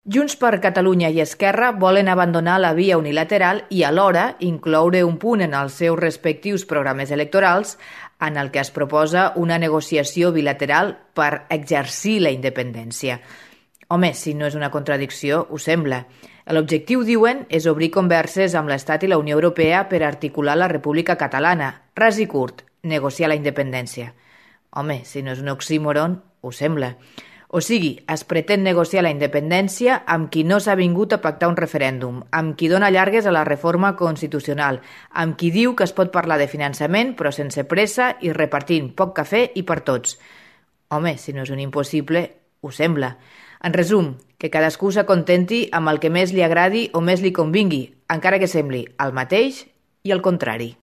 Junts per Catalunya i Esquerra volen abandonar la via unilateral i alhora incloure un punt en els seus respectius programes electorals en el que es proposa una negociació bilateral per exercir la independència. Home, si no és una contradicció, ho sembla. L'objectiu, diuen, és obrir converses amb l'Estat i la Unió Europea per articular la República Catalana. Ras i curt, negociar la independència. Home, si no és un oxímoron, ho sembla. O sigui, es pretén negociar la independència amb qui no s'ha vingut a pactar un referèndum, amb qui dona llargues a la reforma constitucional, amb qui diu que es pot parlar de finançament però sense pressa i repartint poc cafè i per tots. Home, si no és un impossible, ho sembla. En resum, que cadascú s'acontenti amb el que més li agradi o més li convingui, encara que sembli el mateix i el contrari.